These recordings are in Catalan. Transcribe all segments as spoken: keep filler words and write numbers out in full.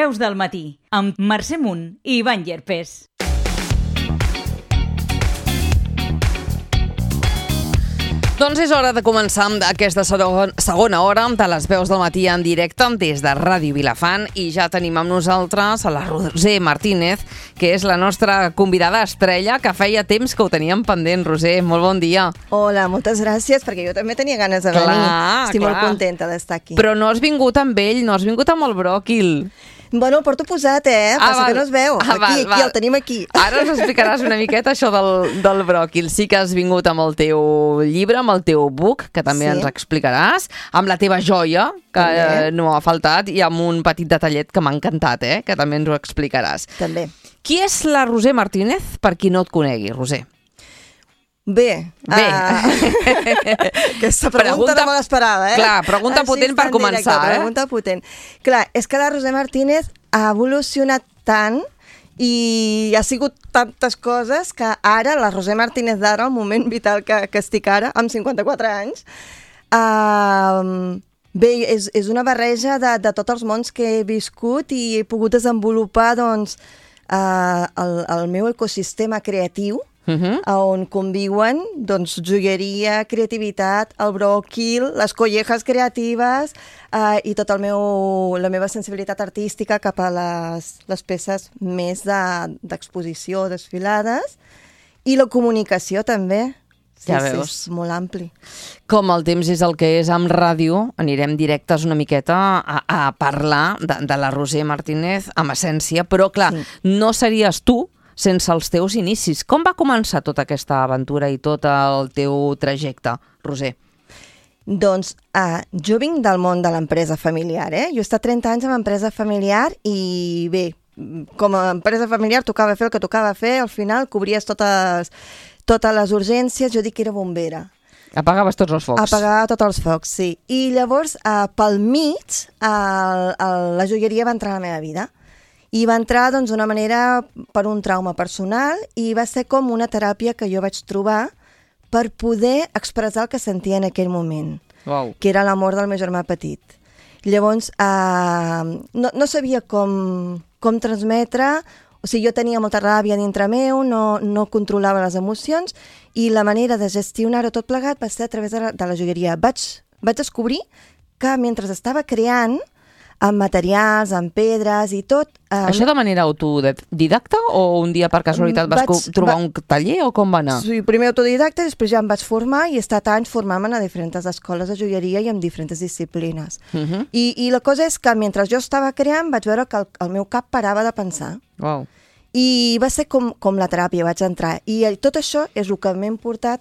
Veus del matí, amb Mercè Munt i Ivan Llerpés. Doncs és hora de començar amb aquesta segona hora de les veus del matí en directe des de Ràdio Vilafant i ja tenim amb nosaltres a la Roser Martínez, que és la nostra convidada estrella, que feia temps que ho teníem pendent. Roser, molt bon dia. Hola, moltes gràcies, perquè jo també tenia ganes de venir. Clar, Estic clar. molt contenta d'estar aquí. Però no has vingut amb ell, no has vingut amb el bròquil. Bueno, el porto posat, eh? Ah, Passa val. que no es veu. Ah, aquí, val, aquí, val. el tenim aquí. Ara ens explicaràs una miqueta això del, del bròquil. Sí que has vingut amb el teu llibre, amb el teu book, que també Sí. ens explicaràs, amb la teva joia, que eh, no ha faltat, i amb un petit detallet que m'ha encantat, eh? Que també ens ho explicaràs. També. Qui és la Roser Martínez, per qui no et conegui, Roser? Bé. Bé. Uh, aquesta pregunta, Pregunta- no me l'esperava, eh? Clar, pregunta potent per en començar, eh? Pregunta potent. Clar, és que la Roser Martínez ha evolucionat tant i ha sigut tantes coses que ara, la Roser Martínez d'ara, el moment vital que, que estic ara, amb cinquanta-quatre anys, uh, bé, és, és una barreja de, de tots els mons que he viscut i he pogut desenvolupar doncs, uh, el, el meu ecosistema creatiu, Uh -huh. on conviuen doncs, joieria, creativitat, el bròquil, les collejas creatives eh, i tota el meu, la meva sensibilitat artística cap a les, les peces més de, d'exposició, desfilades, i la comunicació també. Sí, Ja sí, veus. és molt ampli. Com el temps és el que és amb ràdio, anirem directes una miqueta a, a parlar de, de la Roser Martínez amb essència, però clar, Sí. no series tu sense els teus inicis. Com va començar tota aquesta aventura i tot el teu trajecte, Roser? Doncs uh, jo vinc del món de l'empresa familiar, eh? Jo he estat trenta anys en empresa familiar i bé, com a empresa familiar tocava fer el que tocava fer, al final cobries totes, totes les urgències, jo dic que era bombera. Apagaves tots els focs. Apagar tots els focs, sí. I llavors, uh, pel mig, uh, uh, la joieria va entrar a la meva vida. I va entrar doncs, d'una manera per un trauma personal i va ser com una teràpia que jo vaig trobar per poder expressar el que sentia en aquell moment, Uau. que era la mort del meu germà petit. Llavors, eh, no, no sabia com, com transmetre, o sigui, jo tenia molta ràbia dintre meu, no, no controlava les emocions i la manera de gestionar-ho tot plegat va ser a través de la, de la joieria. Vaig, vaig descobrir que mentre estava creant, amb materials, amb pedres i tot... Eh, Això de manera autodidacta o un dia per casualitat vas Vaig- trobar va- un taller o com va anar? Sí, primer autodidacta, després ja em vaig formar i he estat anys formant-me a diferents escoles de joieria i en diferents disciplines. Uh -huh. I, I la cosa és que mentre jo estava creant vaig veure que el, el meu cap parava de pensar. Uau. I va ser com, com la teràpia, vaig entrar. I eh, tot això és el que m'he portat,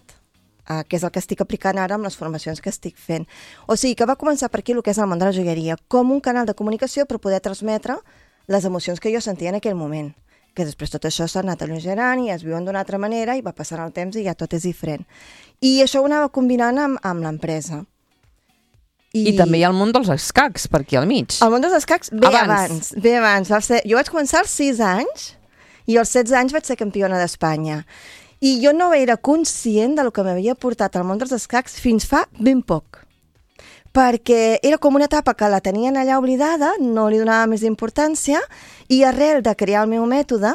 eh, que és el que estic aplicant ara amb les formacions que estic fent. O sigui, que va començar per aquí el que és el món de la joieria, com un canal de comunicació per poder transmetre les emocions que jo sentia en aquell moment. Que després tot això s'ha anat alleugerant i es viuen d'una altra manera i va passant el temps i ja tot és diferent. I això ho anava combinant amb, amb l'empresa. I... I també hi ha el món dels escacs, per aquí al mig. El món dels escacs ve Abans. abans. Ve abans. Va ser... Jo vaig començar als sis anys i als setze anys vaig ser campiona d'Espanya. I jo no era conscient del que m'havia portat al món dels escacs fins fa ben poc. Perquè era com una etapa que la tenien allà oblidada, no li donava més importància, i arrel de crear el meu mètode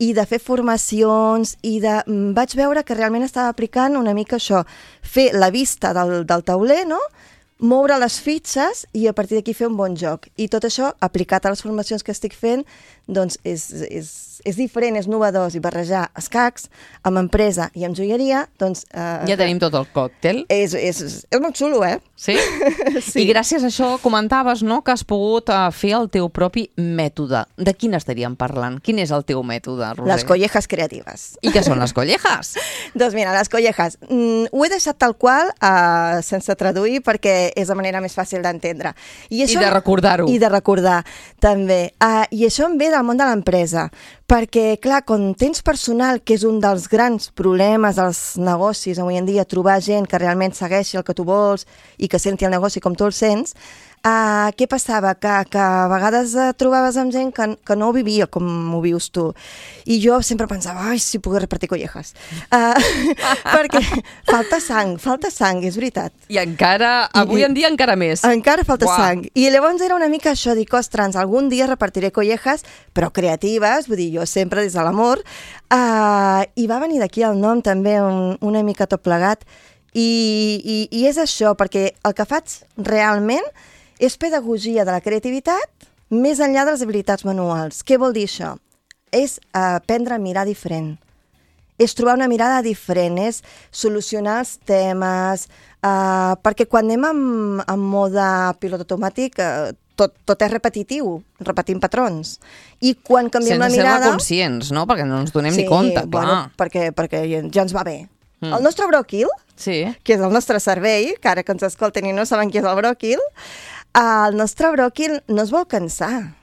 i de fer formacions, i de... vaig veure que realment estava aplicant una mica això, fer la vista del, del tauler, no?, moure les fitxes i a partir d'aquí fer un bon joc. I tot això, aplicat a les formacions que estic fent, doncs és, és, és diferent, és novedós, i barrejar escacs amb empresa i amb joieria, doncs... Eh, Ja tenim tot el còctel. És, és, és molt xulo, eh? Sí? Sí. I gràcies a això comentaves, no?, que has pogut uh, fer el teu propi mètode. De quin estaríem parlant? Quin és el teu mètode, Roser? Les collejas creatives. I què són les collejas? Doncs mira, les collejas. Mm, ho he deixat tal qual, uh, sense traduir, perquè és la manera més fàcil d'entendre. I de recordar-ho. I de recordar, també. Uh, I això em ve del món de l'empresa, perquè, clar, quan tens personal, que és un dels grans problemes dels negocis avui en dia, trobar gent que realment segueixi el que tu vols i que senti el negoci com tu el sents, Uh, què passava? Que, que a vegades uh, trobaves amb gent que, que no ho vivia com ho vius tu. I jo sempre pensava, ai, si pogués repartir collejas. Uh, perquè falta sang, falta sang, és veritat. I encara, avui I, en dia encara més. Encara falta Uah. sang. I llavors era una mica això, dic, ostres, algun dia repartiré collejas, però creatives, vull dir, jo sempre des de l'amor. Uh, I va venir d'aquí el nom també un, una mica tot plegat. I, i, I és això, perquè el que faig realment és pedagogia de la creativitat més enllà de les habilitats manuals. Què vol dir això? És aprendre a mirar diferent. És trobar una mirada diferent, és solucionar els temes, eh, perquè quan anem amb, amb mode pilot automàtic, eh, tot, tot és repetitiu, repetim patrons. I quan canviem Sense la mirada... ser-ne conscients, no? Perquè no ens donem sí, ni compte, clar. Bueno, perquè, perquè ja ens va bé. Mm. El nostre bròquil, Sí. que és el nostre cervell, que ara que ens escolten i no saben qui és el bròquil, el nostre bròquil no es vol cansar.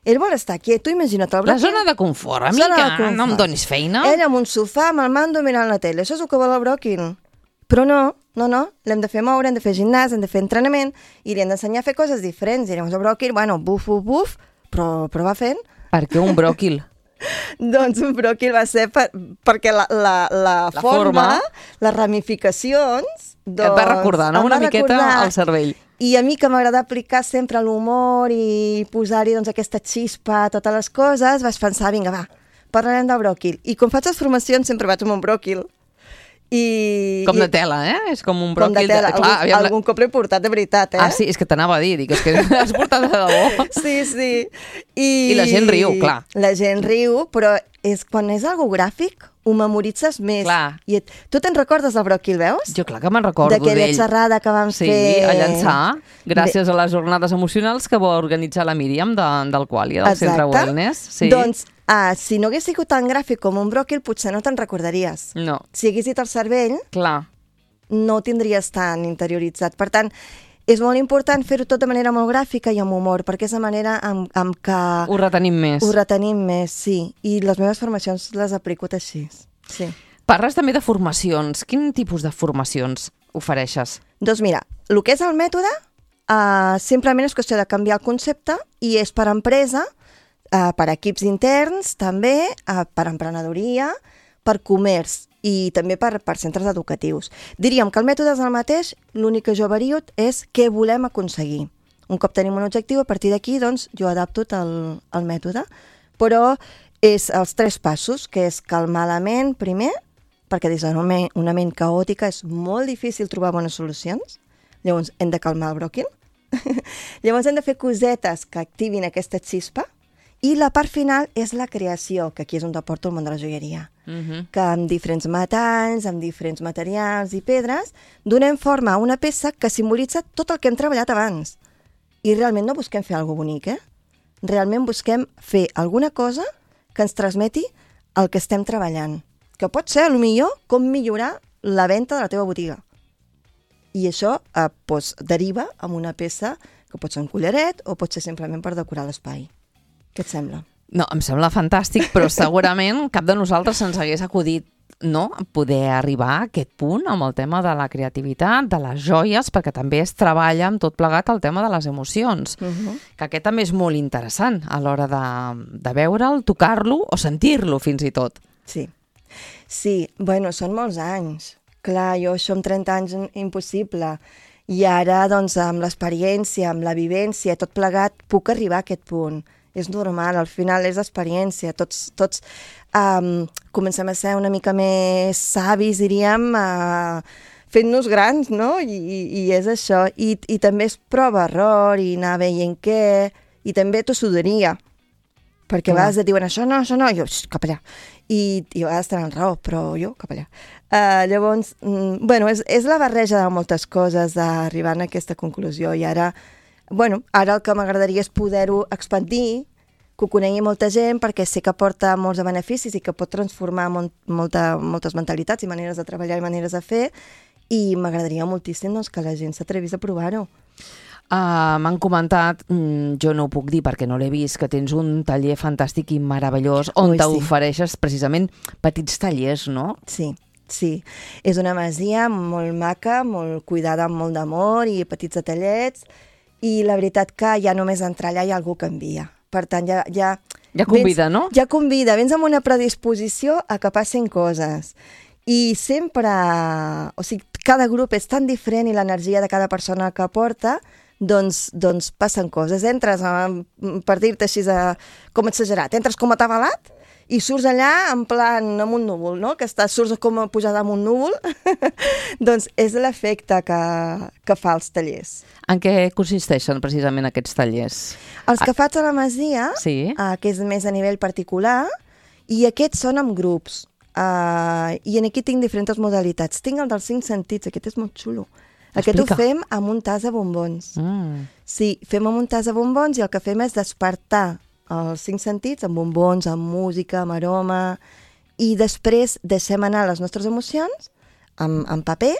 Ell vol estar quiet. Tu imagina't el bròquil... La zona de confort, a mi Zona que de confort. no em donis feina. Ell amb un sofà, amb el mando, mirant la tele. Això és el que vol el bròquil. Però no, no, no. L'hem de fer moure, hem de fer gimnàs, hem de fer entrenament i li hem d'ensenyar a fer coses diferents. I llavors el bròquil, bueno, buf, buf, buf, però, però va fent. Per què un bròquil? Doncs un bròquil va ser per, perquè la, la, la, La forma, forma. les ramificacions... Doncs, Et va recordar, no? em Una va miqueta recordar. al cervell. I a mi que m'agrada aplicar sempre l'humor i posar-hi doncs, aquesta xispa a totes les coses, vaig pensar, vinga, va, parlarem del bròquil. I com faig les formacions sempre vaig amb un bròquil. I, Com i, de tela, eh? És com un com bròquil... de tela. Clar, algun, aviam, algun cop l'he portat de veritat, eh? Ah, sí, és que t'anava a dir, dic, és que has portat de debò. Sí, sí. I, I la gent riu, clar. La gent riu, però és, quan és algo gràfic, ho memoritzes més. Clar. I et, tu te'n recordes del bròquil, veus? Jo clar que me'n recordo d'ell. D'aquella xerrada que vam sí, fer... Sí, a llançar, gràcies Bé. a les jornades emocionals que va organitzar la Míriam de, del Qualia, del Exacte. Centre Wellness. Sí. Doncs, ah, si no hagués sigut tan gràfic com un bròquil, potser no te'n recordaries. No, Si hagués dit el cervell, clar. no ho tindries tan interioritzat. Per tant, és molt important fer-ho tot de manera molt gràfica i amb humor, perquè és la manera amb, amb que Ho retenim més. ho retenim més, sí. I les meves formacions les aplico així. Sí. Parles també de formacions. Quin tipus de formacions ofereixes? Doncs mira, el que és el mètode, uh, simplement és qüestió de canviar el concepte i és per empresa, uh, per equips interns també, uh, per emprenedoria, per comerç i també per, per centres educatius. Diríem que el mètode és el mateix, l'únic que jo vario és què volem aconseguir. Un cop tenim un objectiu, a partir d'aquí doncs, jo adapto el, el mètode, però és els tres passos, que és calmar la ment primer, perquè des d'una ment, una ment caòtica és molt difícil trobar bones solucions, llavors hem de calmar el bròquil, llavors hem de fer cosetes que activin aquesta xispa, i la part final és la creació, que aquí és on porto el món de la joieria. Uh -huh. Que amb diferents metalls, amb diferents materials i pedres, donem forma a una peça que simbolitza tot el que hem treballat abans. I realment no busquem fer alguna cosa bonic, eh? Realment busquem fer alguna cosa que ens transmeti el que estem treballant. Que pot ser, potser, com millorar la venda de la teva botiga. I això eh, doncs, deriva en una peça que pot ser un collaret o pot ser simplement per decorar l'espai. Què et sembla? No, em sembla fantàstic, però segurament cap de nosaltres ens hagués acudit no, poder arribar a aquest punt amb el tema de la creativitat, de les joies, perquè també es treballa amb tot plegat el tema de les emocions, Uh -huh. que aquest també és molt interessant a l'hora de, de veure'l, tocar-lo o sentir-lo fins i tot. Sí. Sí, bueno, són molts anys. Clar, jo això amb trenta anys impossible. I ara, doncs, amb l'experiència, amb la vivència, tot plegat, puc arribar a aquest punt. És normal, al final és experiència. Tots, tots um, comencem a ser una mica més savis, diríem, uh, fent-nos grans, no? I, i, i és això. I, i també és prova-error i anar veient què... I també tossuderia. Perquè a vegades et diuen això no, això no, i jo, cap allà. I, i a vegades tenen raó, però jo, cap allà. Uh, llavors, mm, bueno, és, és la barreja de moltes coses d'arribar a aquesta conclusió. I ara, bueno, ara el que m'agradaria és poder-ho expandir, que ho conegui molta gent, perquè sé que porta molts de beneficis i que pot transformar molt, molta, moltes mentalitats i maneres de treballar i maneres de fer, i m'agradaria moltíssim doncs, que la gent s'atrevís a provar-ho. Uh, M'han comentat, mm, jo no ho puc dir perquè no l'he vist, que tens un taller fantàstic i meravellós on Ui, sí. t'ofereixes precisament petits tallers, no? Sí, sí. És una masia molt maca, molt cuidada amb molt d'amor i petits detallets, i la veritat que ja només entrar allà ja algú canvia. Per tant, ja... Ja, ja convida, vens, no? Ja convida, vens amb una predisposició a que passin coses. I sempre... O sigui, cada grup és tan diferent i l'energia de cada persona que porta, doncs, doncs passen coses. Entres, a, per dir-te així, a, com exagerat, entres com a atabalat i surts allà en plan amb un núvol, no? Que estàs, surts com a pujada amb un núvol. Doncs és l'efecte que, que fa els tallers. En què consisteixen precisament aquests tallers? Els que faig a la Masia, sí. uh, que és més a nivell particular, i aquests són amb grups. Uh, I en aquí tinc diferents modalitats. Tinc el dels cinc sentits, aquest és molt xulo. Aquest Explica. ho fem amb un tas de bombons. Mm. Sí, fem amb un tas de bombons i el que fem és despertar els cinc sentits amb bombons, amb música, amb aroma, i després deixem anar les nostres emocions amb, amb paper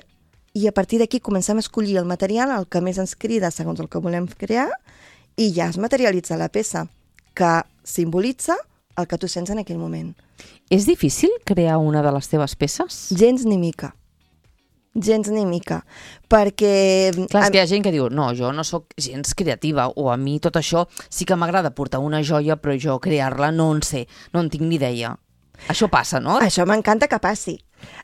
i a partir d'aquí comencem a escollir el material, el que més ens crida segons el que volem crear, i ja es materialitza la peça, que simbolitza el que tu sents en aquell moment. És difícil crear una de les teves peces? Gens ni mica. Gens ni mica, perquè... Clar, és que hi ha gent que diu, no, jo no sóc gens creativa, o a mi tot això sí que m'agrada portar una joia, però jo crear-la no en sé, no en tinc ni idea. Això passa, no? Això m'encanta que passi.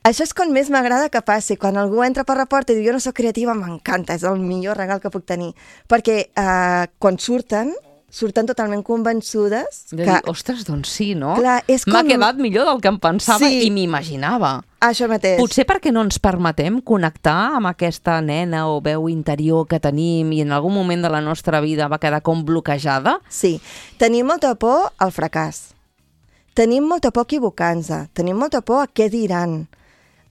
Això és quan més m'agrada que passi. Quan algú entra per la porta i diu, jo no sóc creativa, m'encanta, és el millor regal que puc tenir. Perquè eh, quan surten, surten totalment convençudes de que... dir, ostres, doncs sí, no? Clar, és com... M'ha quedat millor del que em pensava Sí. i m'imaginava. Això mateix. Potser perquè no ens permetem connectar amb aquesta nena o veu interior que tenim i en algun moment de la nostra vida va quedar com bloquejada? Sí. Tenim molta por al fracàs. Tenim molta por a equivocar-nos. Tenim molta por a què diran.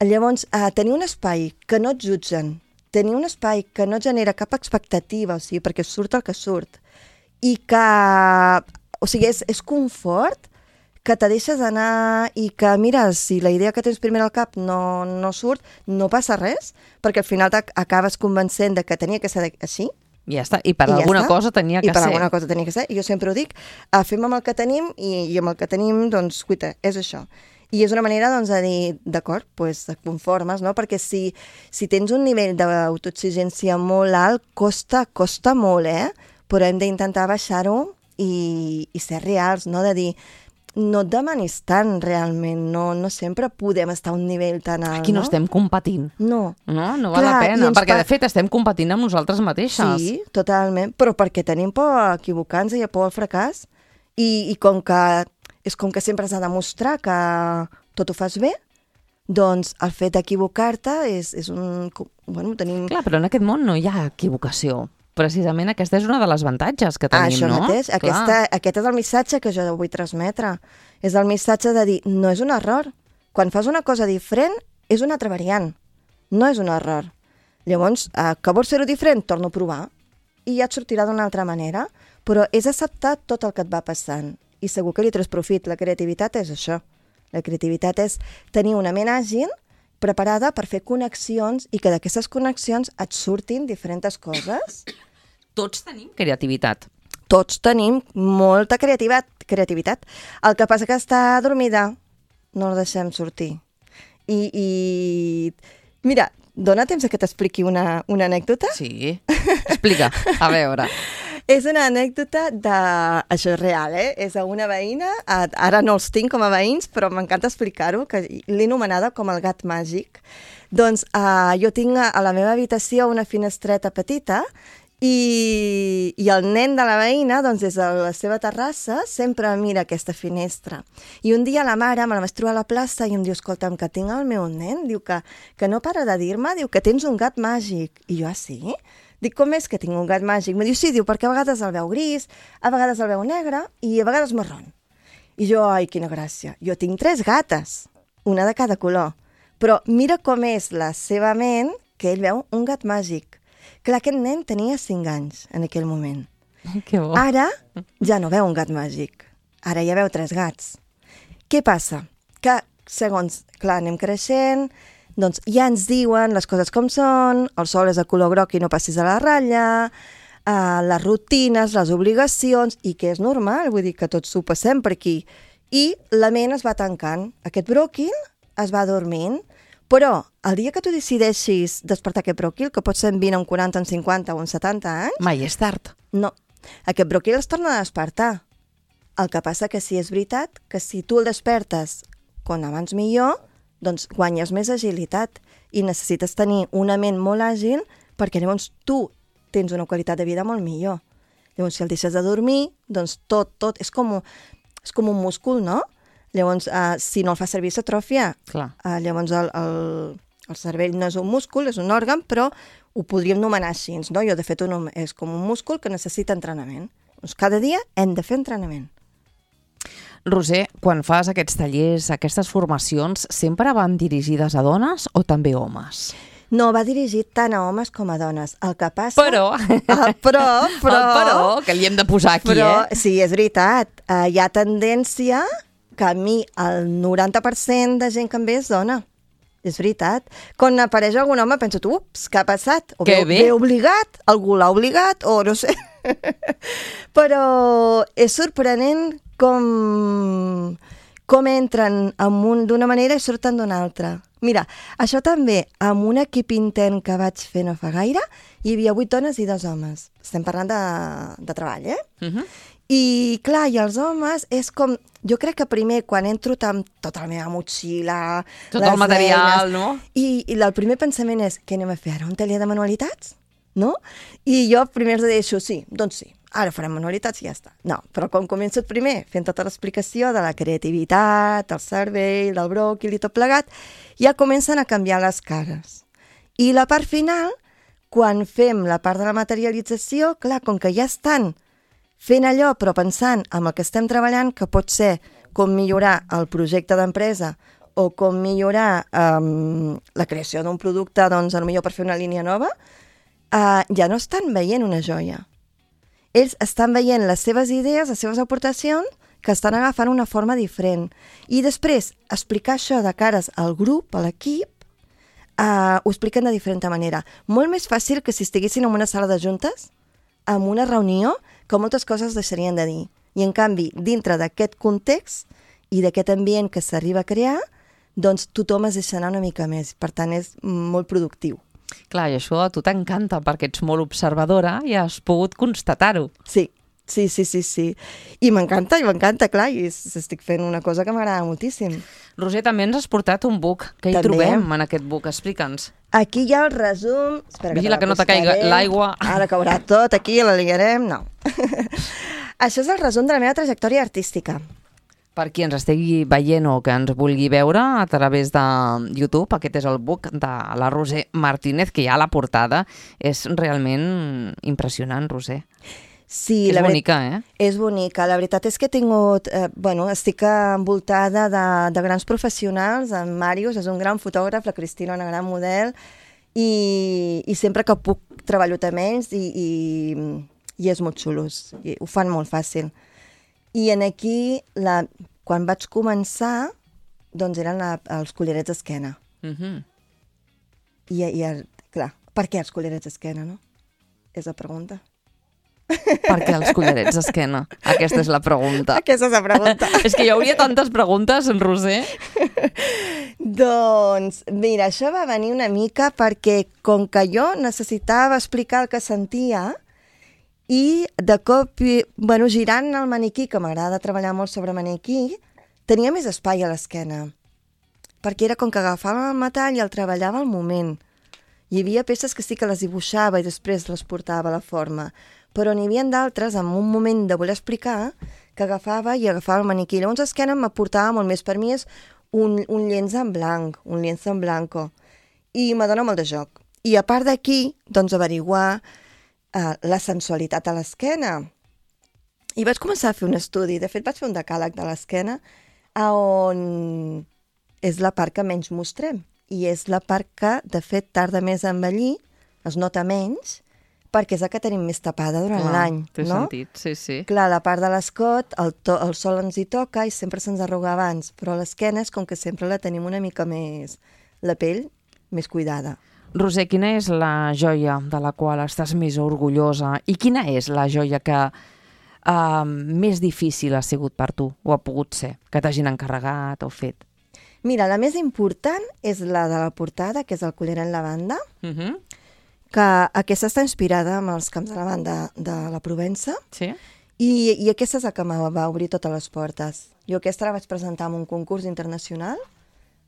Llavors, eh, tenir un espai que no et jutgen, tenir un espai que no genera cap expectativa, o sigui, perquè surt el que surt, i que, o sigui, és, és confort, que te deixes anar i que, mira, si la idea que tens primer al cap no, no surt, no passa res, perquè al final acabes convencent de que tenia que ser així. I ja està, i per I ja alguna està. cosa tenia que I per ser. alguna cosa tenia que ser. I jo sempre ho dic, uh, fem amb el que tenim i, i amb el que tenim, doncs, cuita, és això. I és una manera, doncs, de dir, d'acord, doncs, et conformes, no? Perquè si, si tens un nivell d'autoexigència molt alt, costa, costa molt, eh? Però hem d'intentar baixar-ho i, i ser reals, no? De dir, no et demanis tant realment, no, no sempre podem estar a un nivell tan alt, Aquí no, no? estem competint. No. No, no val Clar, la i pena, ens perquè pa- de fet estem competint amb nosaltres mateixes. Sí, totalment, però perquè tenim por a equivocar-nos i a por al fracàs. I, i com que és com que sempre has de demostrar que tot ho fas bé, doncs el fet d'equivocar-te és, és un... Bueno, tenim... Clar, però en aquest món no hi ha equivocació. Precisament aquesta és una de les avantatges que tenim, Això no? mateix, aquesta, aquest és el missatge que jo vull transmetre. És el missatge de dir, no és un error. Quan fas una cosa diferent, és una altra variant. No és un error. Llavors, eh, que vols fer-ho diferent, torno a provar. I ja et sortirà d'una altra manera. Però és acceptar tot el que et va passant. I segur que li treus profit. La creativitat és això. La creativitat és tenir una ment àgil, preparada per fer connexions i que d'aquestes connexions et surtin diferents coses. Tots tenim creativitat. Tots tenim molta creativitat, creativitat. El que passa que està adormida, no la deixem sortir. I, i... Mira, dona temps a que t'expliqui una, una anècdota? Sí, explica, a veure. És una anècdota de... Això és real, eh? És a una veïna, ara no els tinc com a veïns, però m'encanta explicar-ho, que l'he anomenada com el gat màgic. Doncs uh, jo tinc a la meva habitació una finestreta petita i, i el nen de la veïna, doncs des de la seva terrassa, sempre mira aquesta finestra. I un dia la mare me la vaig trobar a la plaça i em diu, escolta'm, que tinc el meu nen, diu que, que no para de dir-me, diu que tens un gat màgic. I jo, ah, sí? Dic, com és que tinc un gat màgic? Me diu, sí, diu, perquè a vegades el veu gris, a vegades el veu negre i a vegades marrón. I jo, ai, quina gràcia. Jo tinc tres gates, una de cada color. Però mira com és la seva ment, que ell veu un gat màgic. Clar, aquest nen tenia cinc anys en aquell moment. Que bo. Ara ja no veu un gat màgic. Ara ja veu tres gats. Què passa? Que, segons, clar, anem creixent, doncs ja ens diuen les coses com són, el sol és de color groc i no passis a la ratlla, uh, les rutines, les obligacions, i que és normal, vull dir que tots ho passem per aquí. I la ment es va tancant. Aquest bròquil es va dormint, Però el dia que tu decideixis despertar aquest broquil, que pot ser en vint, en quaranta, en cinquanta o en setanta anys... Mai és tard. No, aquest broquil es torna a despertar. El que passa que sí és veritat que si tu el despertes com abans millor, doncs guanyes més agilitat i necessites tenir una ment molt àgil perquè llavors tu tens una qualitat de vida molt millor. Llavors, si el deixes de dormir, doncs tot, tot, és com, és com un múscul, no? Llavors, uh, si no el fa servir, s'atrofia. Clar. Uh, llavors, el, el, el cervell no és un múscul, és un òrgan, però ho podríem anomenar així, no? Jo, de fet, un, és com un múscul que necessita entrenament. Doncs cada dia hem de fer entrenament. Roser, quan fas aquests tallers, aquestes formacions, sempre van dirigides a dones o també homes? No, va dirigit tant a homes com a dones. El que passa... Però... Ah, però, però... El però, que li hem de posar aquí, però, eh? Sí, és veritat. Uh, hi ha tendència que a mi el noranta per cent de gent que em ve és dona. És veritat. Quan apareix algun home penso, ups, què ha passat? O que ve, bé. ve obligat, algú l'ha obligat, o no sé. Però és sorprenent com, com entren d'una manera i surten d'una altra. Mira, això també, amb un equip intern que vaig fer no fa gaire, hi havia vuit dones i dos homes. Estem parlant de, de treball, eh? Uh -huh. I, clar, i els homes és com... Jo crec que primer, quan entro amb tota la meva motxilla... Tot el material, eines, no? I, I el primer pensament és, què anem a fer ara? Un taller de manualitats? No? I jo primer els deixo, sí, doncs sí, ara farem manualitats i ja està. No, però quan començo primer fent tota l'explicació de la creativitat, el cervell, del bròquil i tot plegat, ja comencen a canviar les cares. I la part final, quan fem la part de la materialització, clar, com que ja estan fent allò, però pensant en el que estem treballant, que pot ser com millorar el projecte d'empresa o com millorar um, la creació d'un producte, doncs, potser per fer una línia nova, uh, ja no estan veient una joia. Ells estan veient les seves idees, les seves aportacions, que estan agafant una forma diferent. I després, explicar això de cares al grup, a l'equip, uh, ho expliquen de diferent manera. Molt més fàcil que si estiguessin en una sala de juntes, en una reunió, que moltes coses deixarien de dir. I, en canvi, dintre d'aquest context i d'aquest ambient que s'arriba a crear, doncs tothom es deixa anar una mica més. Per tant, és molt productiu. Clar, i això a tu t'encanta, perquè ets molt observadora i has pogut constatar-ho. Sí, sí, sí, sí, sí. I m'encanta, i m'encanta, clar, i estic fent una cosa que m'agrada moltíssim. Roser, també ens has portat un book. Què hi També. trobem en aquest book? Explica'ns. Aquí hi ha el resum... Espera, Vigila que, que no te caiga l'aigua. Ara caurà tot, aquí la liarem... No. Això és el resum de la meva trajectòria artística. Per qui ens estigui veient o que ens vulgui veure a través de YouTube, aquest és el book de la Roser Martínez, que ja a la portada és realment impressionant, Roser. Sí, és la bonica, eh? És bonica. La veritat és que he tingut... Eh, bueno, estic envoltada de, de grans professionals. En Màrius és un gran fotògraf, la Cristina una gran model, i, i sempre que puc treballo amb ells i, i, i és molt xulos. I ho fan molt fàcil. I en aquí, la, quan vaig començar, doncs eren la, els collarets d'esquena. Uh -huh. I, I, clar, per què els collarets d'esquena, no? És la pregunta. Per què els collarets d'esquena? Aquesta és la pregunta. Aquesta és la pregunta. És que hi hauria tantes preguntes, Roser. Doncs, mira, això va venir una mica perquè com que jo necessitava explicar el que sentia i de cop, bueno, girant el maniquí, que m'agrada treballar molt sobre maniquí, tenia més espai a l'esquena. Perquè era com que agafava el metall i el treballava al moment. Hi havia peces que sí que les dibuixava i després les portava a la forma, però n'hi havia d'altres, en un moment de voler explicar, que agafava i agafava el maniquí. Llavors l'esquena m'aportava molt més. Per mi és un, un llenç en blanc, un lienzo en blanco, i m'adona molt de joc. I a part d'aquí, doncs, averiguar uh, la sensualitat a l'esquena. I vaig començar a fer un estudi. De fet, vaig fer un decàleg de l'esquena on és la part que menys mostrem. I és la part que, de fet, tarda més a envellir, es nota menys, perquè és la que tenim més tapada durant l'any, Té no? sentit, sí, sí. Clar, la part de l'escot, el, to, el sol ens hi toca i sempre se'ns arruga abans, però l'esquena és com que sempre la tenim una mica més... la pell més cuidada. Roser, quina és la joia de la qual estàs més orgullosa i quina és la joia que uh, més difícil ha sigut per tu o ha pogut ser, que t'hagin encarregat o fet? Mira, la més important és la de la portada, que és el coller en lavanda, Uh -huh. que aquesta està inspirada en els camps de lavanda de la Provença, Sí? i, i aquesta és la que me va obrir totes les portes. Jo aquesta la vaig presentar en un concurs internacional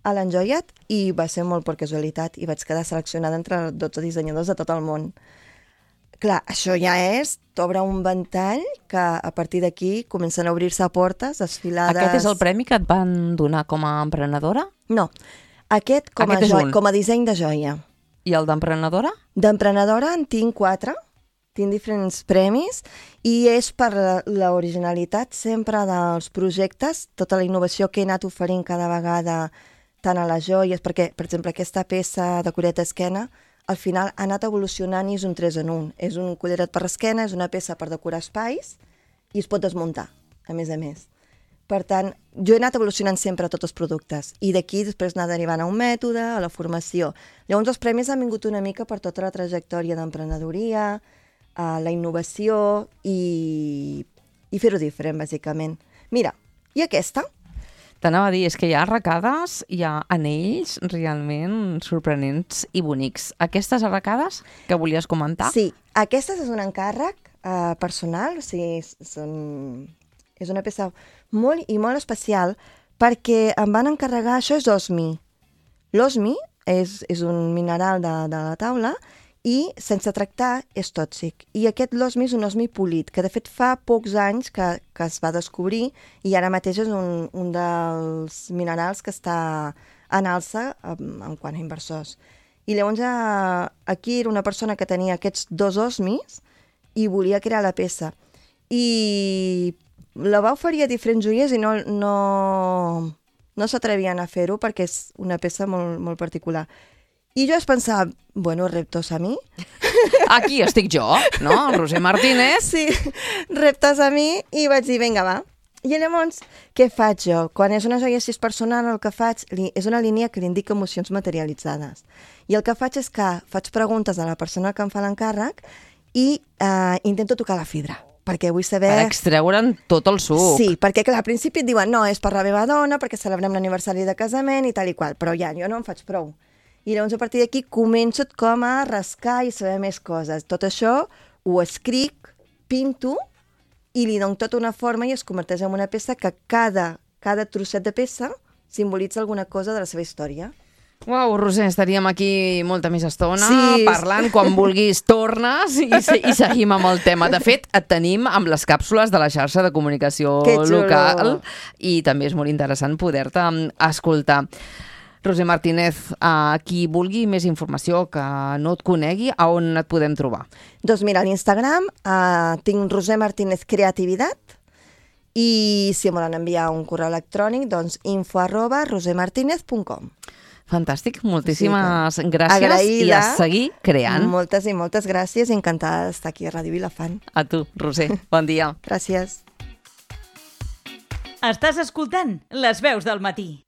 a l'Enjoyat i va ser molt per casualitat i vaig quedar seleccionada entre dotze dissenyadors de tot el món. Clar, això ja és, t'obre un ventall que a partir d'aquí comencen a obrir-se portes, desfilades... Aquest és el premi que et van donar com a emprenedora? No, aquest com, Aquest a, és jo... un. com a disseny de joia. I el d'emprenedora? D'emprenedora en tinc quatre, tinc diferents premis i és per la- l'originalitat sempre dels projectes, tota la innovació que he anat oferint cada vegada tant a les joies, perquè, per exemple, aquesta peça de collet d'esquena al final ha anat evolucionant i és un tres en un. És un collaret per l'esquena, és una peça per decorar espais i es pot desmuntar, a més a més. Per tant, jo he anat evolucionant sempre tots els productes i d'aquí després anar derivant a un mètode, a la formació. Llavors els premis han vingut una mica per tota la trajectòria d'emprenedoria, a la innovació i, i fer-ho diferent, bàsicament. Mira, i aquesta? T'anava a dir, és que hi ha arracades, hi ha anells realment sorprenents i bonics. Aquestes arracades que volies comentar? Sí, aquesta és un encàrrec eh, personal, o sigui, són... és una peça molt i molt especial perquè em van encarregar, això és osmi. L'osmi és, és un mineral de, de la taula i sense tractar és tòxic. I aquest l'osmi és un osmi polit, que de fet fa pocs anys que, que es va descobrir i ara mateix és un, un dels minerals que està en alça en, en quant a inversors. I llavors eh, aquí era una persona que tenia aquests dos osmis i volia crear la peça. I la va oferir a diferents joiers i no, no, no s'atrevien a fer-ho perquè és una peça molt, molt particular. I jo vaig pensar, bueno, reptos a mi. Aquí estic jo, no? El Roser Martínez. Sí, reptes a mi i vaig dir, vinga, va. I llavors, què faig jo? Quan és una joia així personal, el que faig li, és una línia que li indica emocions materialitzades. I el que faig és que faig preguntes a la persona que em fa l'encàrrec i eh, intento tocar la fibra, perquè vull saber... Per extreure'n tot el suc. Sí, perquè clar, al principi et diuen no, és per la meva dona, perquè celebrem l'aniversari de casament i tal i qual, però ja, jo no en faig prou. I llavors a partir d'aquí començo com a rascar i saber més coses. Tot això ho escric, pinto i li dono tota una forma i es converteix en una peça que cada, cada trosset de peça simbolitza alguna cosa de la seva història. Uau, Roser, estaríem aquí molta més estona Sí. parlant. Quan vulguis tornes i, se- i seguim amb el tema. De fet, et tenim amb les càpsules de la xarxa de comunicació Que xulo. local i també és molt interessant poder-te mm, escoltar. Roser Martínez, a qui vulgui més informació, que no et conegui, a on et podem trobar? Doncs mira, a l'Instagram uh, tinc Roser Martínez Creativitat i si em volen enviar un correu electrònic, doncs info arroba rosermartinez punt com. Fantàstic, moltíssimes Sí, gràcies agraïda. i a seguir creant. Moltes i moltes gràcies i encantada d'estar aquí a Ràdio Vilafant. A tu, Roser. Bon dia. Gràcies. Estàs escoltant Les Veus del Matí.